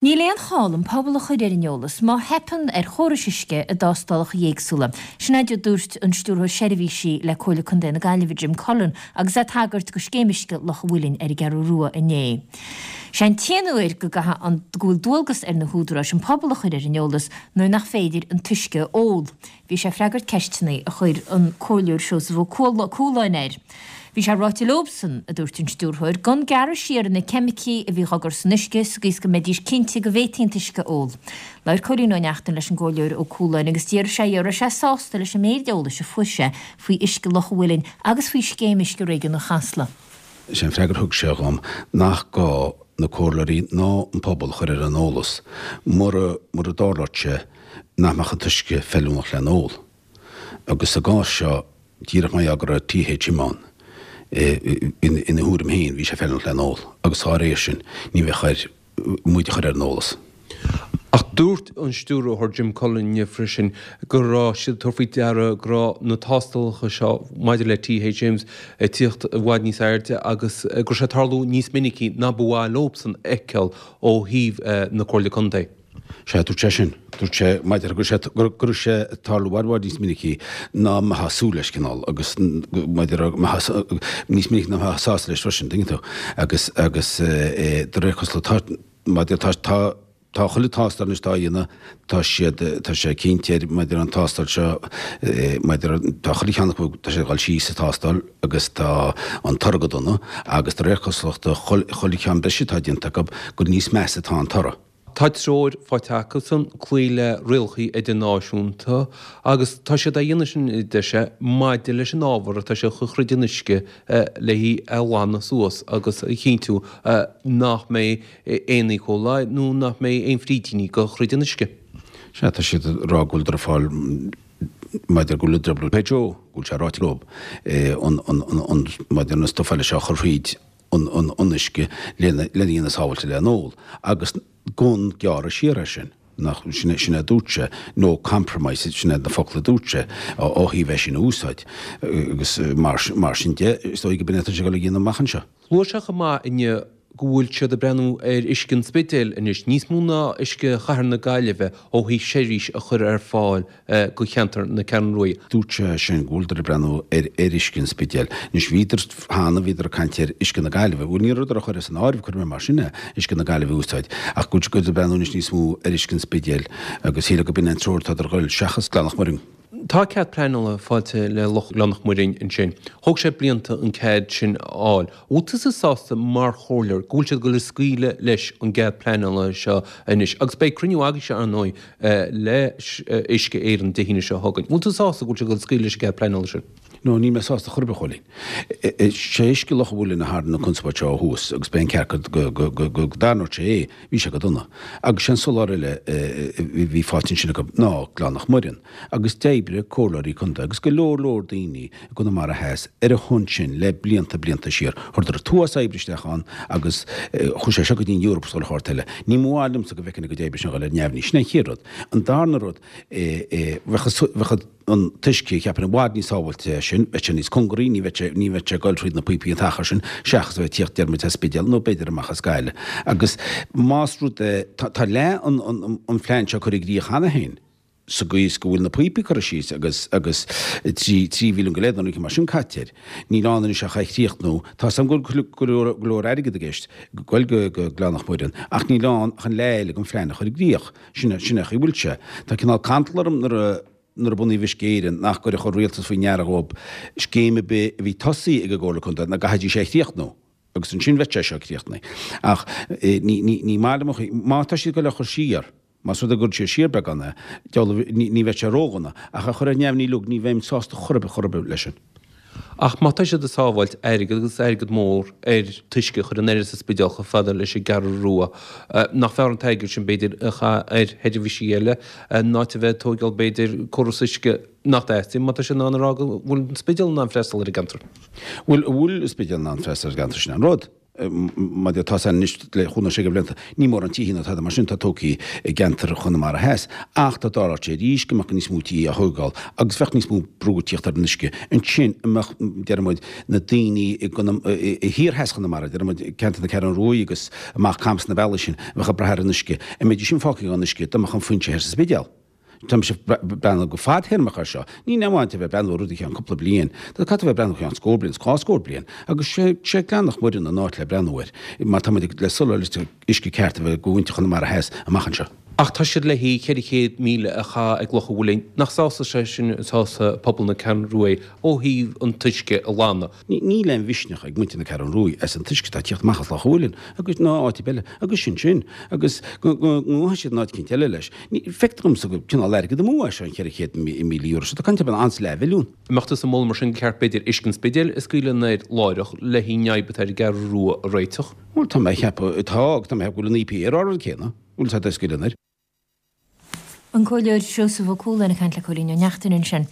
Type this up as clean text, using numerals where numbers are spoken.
Níl aon chall an pobal a chur ar an eolas má theipeann ar chórais uisce i dtástálacha éagsúla. Sin é a dúirt an Stiúrthóir Seirbhísí le Comhairle Contae na Gaillimhe, Jim Cullen, agus é ag tagairt do Scéim Uisce Loch an Mhuilinn ar an gCeathrú Rua inné. Sé an t-aon uair go gcaithfidh an go bhfuil dualgas ar na húdaráis an pobal a chur ar an eolas nuair nach féidir an t-uisce a ól. Bhí sé ag freagairt ceisteanna a chuir an Comhairleoir Seosamh Ó Cualáin air. Bhí sé ráite leobsan, a dúirt an stiúrthóir, gan gearradh siar ar na ceimicí a bhí á gcur san uisce sa gcaoi is go mbeidís cinnte go bhféadfaí an t-uisce a ól. Labhair Cóilín Ó Neachtain leis an gComhairleoir Ó Cualáin agus d'fhiafraigh sé dhe an raibh sé sásta leis an méid eolais a fuair sé faoi uisce Loch an Mhuilinn agus faoi scéim uisce réigiúnach Chasla. Is é an freagra a thug sé dhom nach gá na comhairleoirí ná an pobal a chur ar an eolas mura mura dtarlódh sé nach mbeadh an t-uisce feiliúnach lena ól. Agus sa gcás seo, díreach mar gheall go raibh THM ann, ina thuairim féin, bhí sé feiliúnach lena ól, agus dá réir sin, ní bheadh air muid a chur ar an eolas. Ach dúirt an Stiúrthóir Jim Cullen inniu freisin go raibh siad ag tabhairt faoi deara go raibh na tástálacha seo maidir le THMs ag tíocht i bhfad níos airde agus go raibh sé ag tarlú níos minicí ná ba mhaith leobsan a fheiceáil ó thaobh na Comhairle Contae. Sea, dúirt sé sin. Dúirt sé, maidir go raibh sé, go raibh sé ag tarlú i bhfad, i bhfad níos minicí ná mbeifeá ag súil leis, cineál, agus maidir mbeifeá, níos minicí ná mbeifeá sásta leis freisin, tuigeann tú. Agus, agus de réir cosúlachta, tá, maidir, tá, tá, tá chuile tástáil anois atá á dhéanamh, tá siad, tá sé cinnte ar, maidir an tástáil seo, maidir, tá chuile cheann acu, tá sé ag dul síos sa tástáil agus tá an toradh go dona agus de réir cosúlachta, chuile cheann breise atá déanta acu, gur níos measa atá an toradh. Tá treoir faighte acusan cloí le rialacha idirnáisiúnta agus tá siad á dhéanamh sin, a deir sé, maidir leis an ábhar atá siad a chur thríd an uisce le hí a ghlanadh suas agus a chinntiú nach mbeidh aon E. coli nó nach mbeidh aon frídíní ag dul thríd an uisce. Sea, tá siad ag rá go bhfuil ag fáil maidir go bhfuil WHO, go bhfuil sé ráite leo an maidir an stuif eile seo a chur thríd an uisce lena dhéanamh sábháilte lena ól, agus gan gearradh siar air sin, nach, sin é, sin é a dúirt sé, no compromise, sin iad na focla a dúirt sé, ó thaobh é sin a úsáid. Agus mar, mar sin de, is dóigh go b'in é atá sé ag dul a dhéanamh amach anseo. Luaigh sé chomh maith inniu go bhfuil siad ag breathnú ar uisce an Spidéil anois, níos mó ná uisce chathair na Gaillimhe ó thaobh seirbhís a chur ar fáil go cheantar na Ceathrún Rua. Dúirt sé sin go bhfuileadar ag breathnú ar ar uisce an Spidéil. Anois bhíodar cheana, bhíodar ag caint ar uisce na Gaillimhe. Bhuel ní rabhadar á chur as an áireamh, cuirfidh mé mar sin é, uisce na Gaillimhe a úsáid, ach go bhfuil siad ag breathnú anois níos mó ar uisce an Spidéil agus shílfeá go b'in an treoir atá ag dul seachas Gleann Loch Muirinn. Tá cead pleanála faighte le Loch Ghleann Loch Muirinn ansin. Thóg sé blianta an cead sin a fháil. Bhfuil tusa sásta mar chomhairleoir go bhfuil siad ag dul ag scaoileadh leis an gcead pleanála seo anois agus beidh cruinniú agaibhse ar ndóigh le Uisce Éireann Dé hAoine seo chugainn. Bhfuil tú sásta go bhfuil siad ag dul ag scaoileadh leis an gcead pleanála sin? No, níl mé sásta chor ar bith, a Chóilín. Sé uisce Loch an Mhuilinn a tharraing an conspóid seo ó thús agus b'é an ceart go dtarraingeodh sé é, bhí sé go dona. Agus sé an soláthar eile a bhí faighte ansin acu ná Gleann Loch Muireann. Agus d'oibrigh comhairleoirí contae agus go leor leor daoine i gConamara Theas ar a shon sin le blianta blianta siar. Chuireadar an t-uafás oibre isteach ann agus chuaigh sé seo go dtí an Eoraip is chuile shórt eile. Ní maith liomsa go bhfeicfinn a gcuid oibre sin a dhul ar neamhní. Sin é an chéad rud. An darna rud, bheadh an t-uisce, cheapfainn, i bhfad níos sábháilte sin, bheadh sé níos cóngaraí, ní bheadh sé, ní bheadh sé ag dul thríd na píopaí an t-achar sin, seachas a bheith ag tíocht deir muid as Spidéal nó b'fhéidir amach as Gaillimh. Agus más rud é, tá leath an phlean seo curtha i gcrích cheana féin. sa gcaoi is go bhfuil na píopaí curtha síos agus agus 3 mhilliún go leith nó rud mar sin caite air. Níl ann anois ach é a chríochnú. Tá 's agam go bhfuil go leor go leor airgead i gceist ag goil go go Gleann Loch Muireann ach níl ann ach an leath eile den phlean a chur i gcrích. Sin sin é an chaoi a bhfuil sé. Tá cineál cantal orm nuair a nuair a bunaíodh Uisce Éireann nach gcuirfeadh an rialtas faoi ndeara dhóibh scéim ar bith a bhí tosaithe ag an gComhairle Contae ná go gcaithfidís é a chríochnú. Agus ansin bheadh sé seo críochnaithe. Ach ní ní ní maith liom an chaoi má tá siad ag goil á chur siar, Más rud é go gcuirfidh siad siar beagán é, deabhal, ní bheidh sé ródhona, ach á chur ar neamhní uilig, ní bheinn sásta chor ar bith, chor ar bith leis sin. Ach má tá siad ag sábháilt airgid, agus airgead mór, ar t-uisce a chur in airde sa Spidéal chomh fada leis an gCeathrú Rua, nach fearr an t-airgead sin, b'fhéidir, a chaitheamh ar sheirbhísí eile, in áit a bheith ag tóigeáil, b'fhéidir, córas uisce nach dteastaíonn, má tá siad in ann a rá go bhfuil an Spidéal in ann freastal ar an gceantar? Bhuel, an bhfuil an Spidéal in ann freastal ar an gceantar, sin an rud. Mar atá sé anois le chúig nó sé de bhlianta, ní mórán tithe ná tada mar sin atá tógtha i gceantar Chonamara Theas, ach dá dtarlódh sé arís go mbeadh níos mó tithe á thógáil agus bheadh níos mó brú ag tíocht ar an uisce, ansin an mbeadh, deir muid, na daoine i i thiar theas Chonamara, deir muid, ceantar na Ceathrún Ruaidh agus amach Camas na bealaí sin, a bheadh ag brath ar an uisce, an mbeidís sin fágtha gan uisce dá mbeadh an foinse thoir sa Spidéal? Tá mise ag breathnú go fadtéarmach air seo. Ní amháin a bheith ag breathnú ar rud i gceann cúpla bliain. Tá caithfidh tú a bheith ag breathnú i gceann scór bliain, 's scór bliain. Agus sé sé Gleann Loch Muireann an áit le breathnú air, má tá muid ag le soláthar uisce ceart a bheith do mhuintir Chonamara Theas amach anseo. Ach tá siad le 400,000 a chaitheamh ag Loch an Mhuilinn. Nach sásamh sé sin sásamh pobal na Ceathrún Ruaidh ó thaobh an t-uisce a ghlanadh? Níl aon mhisneach ag muintir na Ceathrún Ruaidh as an t-uisce atá ag tíocht amach as Loch an Mhuilinn agus ná áit ar bith eile agus sin sin agus go ngabhfaidh siad in áit eicínt eile leis. Feictear domsa gur cineál airgead amú é seo an €400,000 seo. Tá caint ar an leathmhilliún. An mbeadh tusa ag moladh mar sin gur cheart b'fhéidir uisce an Spidéil a scaoileadh anoir láithreach le an fhadhb atá ar an gCeathrú Rua a réiteach? Bhuel tá mé ag ceapadh, tá agus tá mé ag ceapadh go bhfuil an EPA ag rá an rud céanna. Bhuel tá, scaoileadh anoir. An Comhairleoir Seosamh Ó Cualáin ag caint le Cóilín Ó Neachtain ansin.